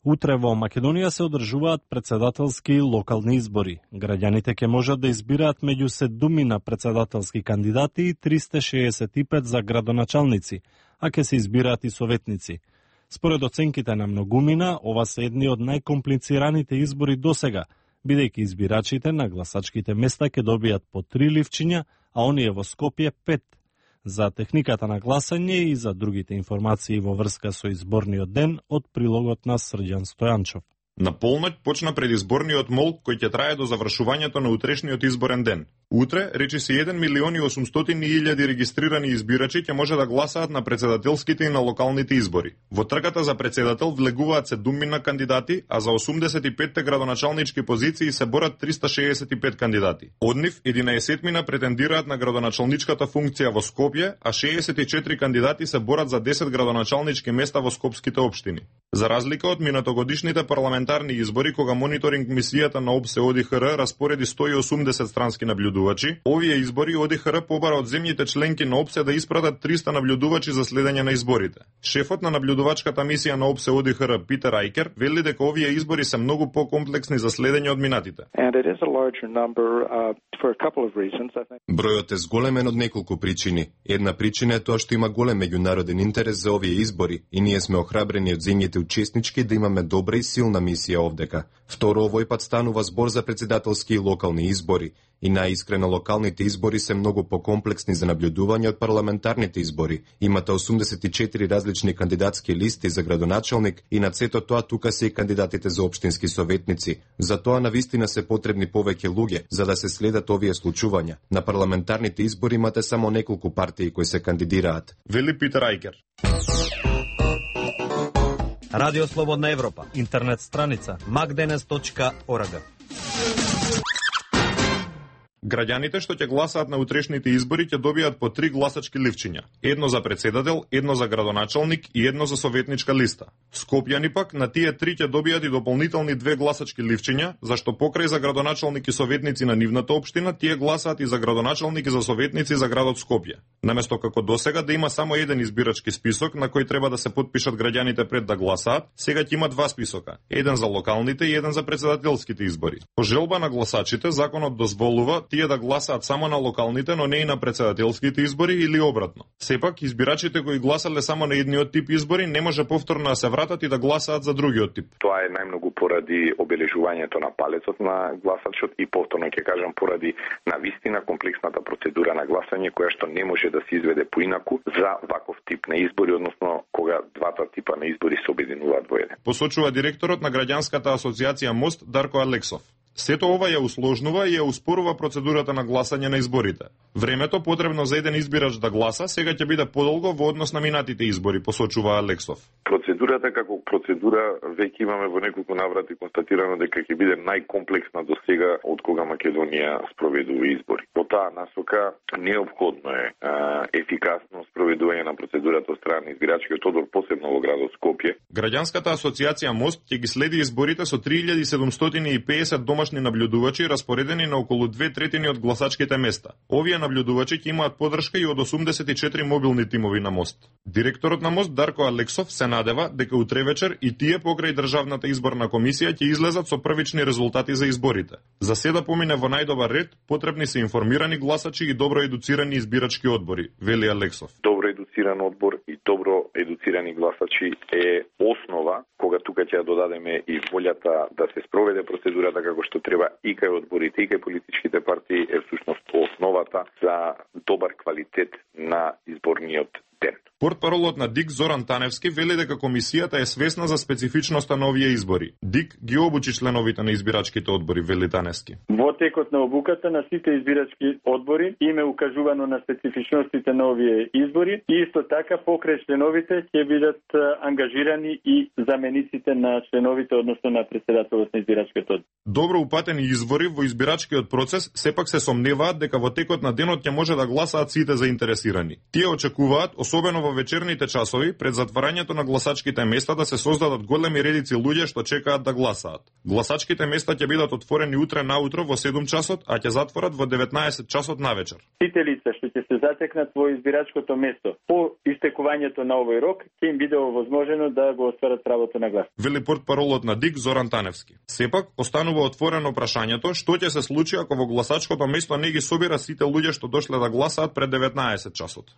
Утре во Македонија се одржуваат председателски локални избори. Граѓаните ќе можат да избираат меѓу 7 председателски кандидати и 365 за градоначалници, а ќе се избираат и советници. Според оценките на многумина, ова се едни од најкомплицираните избори досега, бидејќи избирачите на гласачките места ќе добијат по 3 ливчиња, а оние во Скопје 5. За техниката на гласање и за другите информации во врска со изборниот ден од прилогот на Срđan Стојанчов. На полноќ почна предизборниот молк кој ќе трае до завршувањето на утрешниот изборен ден. Утре, речиси 1.800.000 регистрирани избирачи ќе може да гласаат на председателските и на локалните избори. Во трката за председател влегуваат 7 кандидати, а за 85 градоначалнички позиции се борат 365 кандидати. Од нив 11 претендираат на градоначалничката функција во Скопје, а 64 кандидати се борат за 10 градоначалнички места во скопските општини. За разлика од минатогодишните парламентарни избори, кога мониторинг мисијата на ОБСЕ ОДИХР распореди 180 странски наблюдувачи, овие избори ОДИХР побара од земјите членки на ОБСЕ да испратат 300 наблюдувачи за следење на изборите. Шефот на наблюдувачката мисија на ОБСЕ ОДИХР Питер Ајкер вели дека овие избори се многу покомплексни за следење од минатите. Бројот е зголемен од неколку причини. Една причина е тоа што има голем меѓународен интерес за овие избори и ние сме охрабрени од земјите учеснички да имаме добра и силна мисија овдека. Второ, овој пат станува збор за председателски и локални избори. И најискрено, локалните избори се многу покомплексни за наблюдување од парламентарните избори. Имате 84 различни кандидатски листи за градоначалник и над сето тоа тука се и кандидатите за општински советници. Затоа навистина се потребни повеќе луѓе за да се следат овие случувања. На парламентарните избори имате само неколку партии кои се кандидираат. Вели Питер Ајкер. Радио Слободна Европа. Интернет страница magdenes.org. Граѓаните што ќе гласаат на утрешните избори ќе добијат по 3 гласачки ливчиња. Едно за председател, едно за градоначалник и едно за советничка листа. Скопјани пак на тие 3 ќе добијат и дополнителни 2 гласачки ливчиња, зашто покрај за градоначалник и советници на нивната општина, тие гласаат и за градоначалник и за советници за градот Скопје. Наместо како досега да има само еден избирачки список на кој треба да се потпишат граѓаните пред да гласаат, сега ќе има 2 списока, еден за локалните и еден за председателските избори. По желба на гласачите, законот дозволува тие да гласаат само на локалните, но не и на председателските избори или обратно. Сепак, избирачите кои гласале само на едниот тип избори не може повторно да се вратат и да гласаат за другиот тип. Тоа е најмногу поради обележувањето на палецот на гласачот и повторно ќе кажам поради навистина комплексната процедура на гласање која што не може да се изведе поинаку за ваков тип на избори, односно кога двата типа на избори се обединуваат во еден. Посочува директорот на граѓанската асоциација МОСТ Дарко Алексов. Сето ова ја усложнува и ја успорува процедурата на гласање на изборите. Времето потребно за еден избирач да гласа сега ќе биде подолго во однос на минатите избори, посочува Алексов. Процедурата како процедура веќе имаме во неколку наврати констатирано дека ќе биде најкомплексна до сега од кога Македонија спроведува избори. По таа насока неопходно е ефикасно спроведување на процедурата од страна на избирачкиот одбор, посебно во градот Скопје. Граѓанската асоциација МОСТ ќе ги следи изборите со 3750 домашни наблюдувачи распоредени на околу 2/3 од гласачките места. Овие наблюдувачи ќе имаат поддршка и од 84 мобилни тимови на МОСТ. Директорот на МОСТ Дарко Алексов се надева дека утре вечер и тие покрај Државната изборна комисија ќе излезат со првични резултати за изборите. За се да помине во најдобар ред, потребни се информирани гласачи и добро едуцирани избирачки одбори, вели Алексов. Добро едуциран одбор и добро едуцирани гласачи е основа кога тука ќе додадеме и волјата да се спроведе процедурата како што треба и кај одборите и кај политичките партии е всушност основата за добар квалитет на изборниот ден. Портпаролот на ДИК Зоран Таневски вели дека комисијата е свесна за специфичноста на овие избори. ДИК ги обучи членовите на избирачките одбори, вели Таневски. Во текот на обуката на сите избирачки одбори им е укажувано на специфичностите на овие избори и исто така покрај членовите ќе бидат ангажирани и замениците на членовите, односно на претседателот на избирачкиот одбор. Добро упатени извори во избирачкиот процес сепак се сомневаат дека во текот на денот ќе може да гласаат сите заинтересирани. Тие очекуваат особено во вечерните часови, пред затварањето на гласачките места да се создадат големи редици луѓе што чекаат да гласаат. Гласачките места ќе бидат отворени утре наутро во 7 часот, а ќе затворат во 19 часот навечер. Сите лица што ќе се затекнат во избирачкото место по истекувањето на овој рок, ќе им биде овозможено да го остварат правото на глас. Вели портпаролот на ДИК Зоран Таневски. Сепак, останува отворено прашањето што ќе се случи ако во гласачкото место не ги собира сите луѓе што дошле да гласаат пред 19 часот.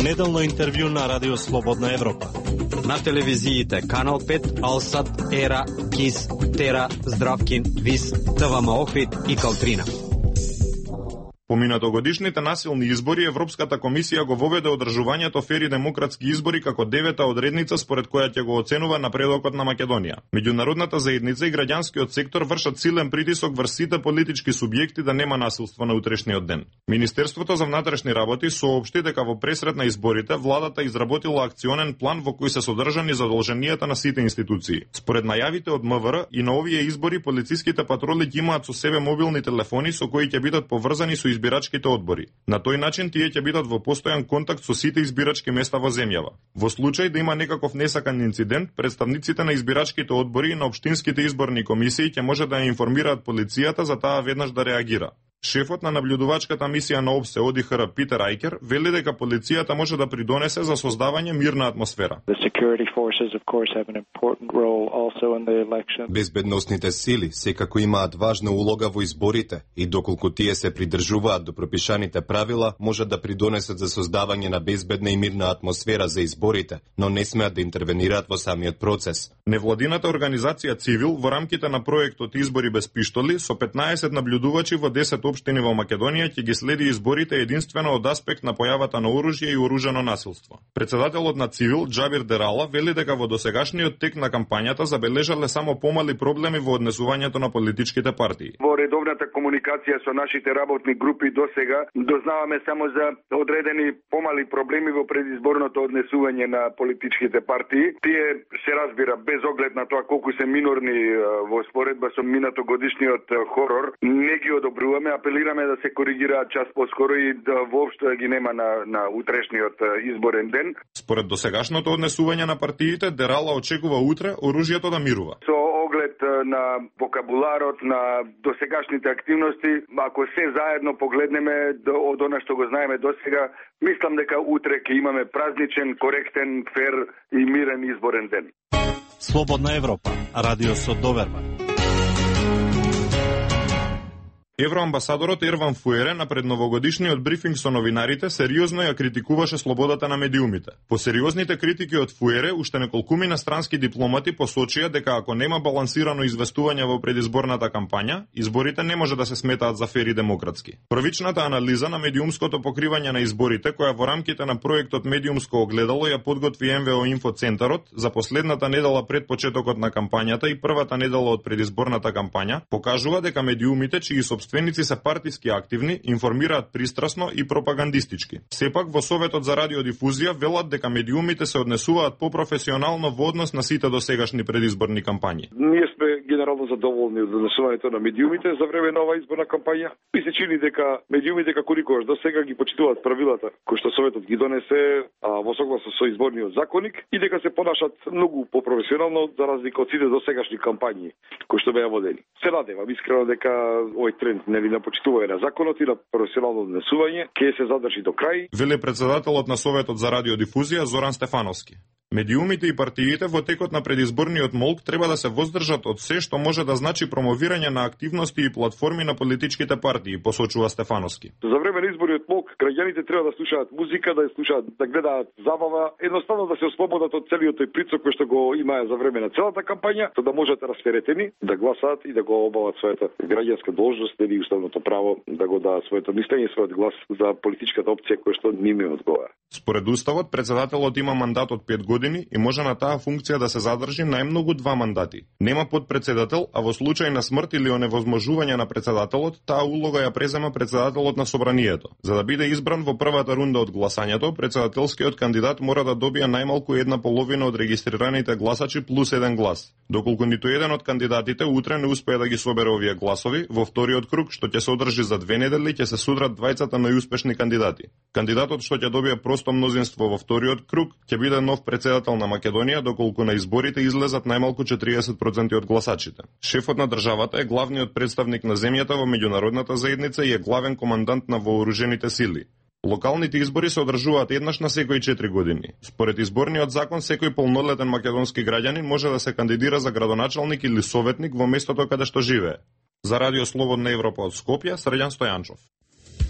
Неделно интервју на Радио Слободна Европа. На телевизиите Канал 5, Алсат, Ера, Кис, Тера, Здравкин, Вис, ТВМ Охрид и Калтрина. По минатогодишните насилни избори, Европската комисија го воведе одржувањето фер и демократски избори како девета одредница според која ќе го оценува напредокот на Македонија. Меѓународната заедница и граѓанскиот сектор вршат силен притисок врз сите политички субјекти да нема насилство на утрешниот ден. Министерството за внатрешни работи соопшти дека во пресрет на изборите владата изработила акционен план во кој се содржани задолженијата на сите институции. Според најавите од МВР и на овие избори полициските патроли ќе имаат со себе мобилни телефони со кои ќе бидат поврзани со избирачките одбори. На тој начин тие ќе бидат во постојан контакт со сите избирачки места во земјава. Во случај да има некаков несакан инцидент, представниците на избирачките одбори и на општинските изборни комисии ќе може да ја информираат полицијата за таа веднаш да реагира. Шефот на наблюдувачката мисија на ОБСЕ ОДИХР Питер Ајкер вели дека полицијата може да придонесе за создавање мирна атмосфера. Безбедносните сили секако имаат важна улога во изборите и доколку тие се придржуваат до пропишаните правила, можат да придонесат за создавање на безбедна и мирна атмосфера за изборите, но не смеат да интервенираат во самиот процес. Невладината организација Цивил во рамките на проектот Избори без пиштоли со 15 наблюдувачи во 10 општини во Македонија ќе ги следи изборите единствено од аспект на појавата на оружје и оружено насилство. Председателот на Цивил Џабир Дерала вели дека во досегашниот тек на кампањата забележале само помали проблеми во однесувањето на политичките партии. Во редовната комуникација со нашите работни групи досега дознаваме само за одредени помали проблеми во предизборното однесување на политичките партии. Тие се разбира без оглед на тоа колку се минорни во споредба со минатогодишниот хорор, не ги одобруваме, апелираме да се коригираат час поскоро и да воопшто ги нема на утрешниот изборен ден. Според досегашното однесување на партиите, Дерала очекува утре оружјето да мирува. Со оглед на вокабуларот, на досегашните активности, ако се заедно погледнеме од она што го знаеме досега, мислам дека утре ќе имаме празничен, коректен, фер и мирен изборен ден. Слободна Европа, радио со доверба. Евроамбасадорот Ерван Фуере на предновогодишниот брифинг со новинарите сериозно ја критикуваше слободата на медиумите. По сериозните критики од Фуере, уште неколкумина странски дипломати посочија дека ако нема балансирано известување во предизборната кампања, изборите не може да се сметаат за фер и демократски. Првичната анализа на медиумското покривање на изборите, која во рамките на проектот Медиумско огледало ја подготви МВО Инфо Центарот за последната недела пред почетокот на кампањата и првата недела од предизборната кампања, покажува дека медиумите чии собственици се партиски активни, информираат пристрасно и пропагандистички. Сепак во Советот за радиодифузија велат дека медиумите се однесуваат попрофесионално во однос на сите досегашни предизборни кампањи. Ние сме генерално задоволни од однесувањето на медиумите за време на оваа изборна кампања. Ми се чини дека медиумите како никогаш досега ги почитуваат правилата кои што Советот ги донесе во согласно со изборниот законник и дека се понашат многу попрофесионално за разлика од сите досегашни кампањи кои што беа водени. Се надевам искрено дека овој тренд на почитување на законот и на професионално однесување ќе се задржи до крај. Вели председателот на Советот за радиодифузија Зоран Стефановски. Медиумите и партиите во текот на предизборниот молк треба да се воздржат од се што може да значи промовирање на активности и платформи на политичките партии, посочува Стефановски. За време на изборниот молк граѓаните треба да слушаат музика, да ја слушаат, да гледаат забава, едноставно да се ослободат од целиот тој прицок кој што го имаа за време на целата кампања, за да можат расферетени да гласаат и да го обават својата граѓанска должност или уставното право да го дадат своето мислење, својот глас за политичката опција која што ними одговара. Според уставот, председателот има мандат од 5 години години и може на таа функција да се задржи најмногу 2 мандати. Нема подпредседател, а во случај на смрт или оневозможување на председателот, таа улога ја презема председателот на собранието. За да биде избран во првата рунда од гласањето, председателскиот кандидат мора да добие најмалку 1/2 од регистрираните гласачи плюс 1 глас. Доколку ниту еден од кандидатите утре не успее да ги собере овие гласови, во вториот круг, што ќе се одржи за 2 недели, ќе се судрат двајцата најуспешни кандидати. Кандидатот што ќе добие просто мнозинство во вториот круг ќе биде нов председател на Македонија, доколку на изборите излезат најмалку 40% од гласачите. Шефот на државата е главниот представник на земјата во меѓународната заедница и е главен командант на вооружените сили. Локалните избори се одржуваат еднаш на секои 4 години. Според изборниот закон, секој полнолетен македонски граѓанин може да се кандидира за градоначалник или советник во местото каде што живее. За Радио Слободна Европа од Скопје, Срđan Стојанчов.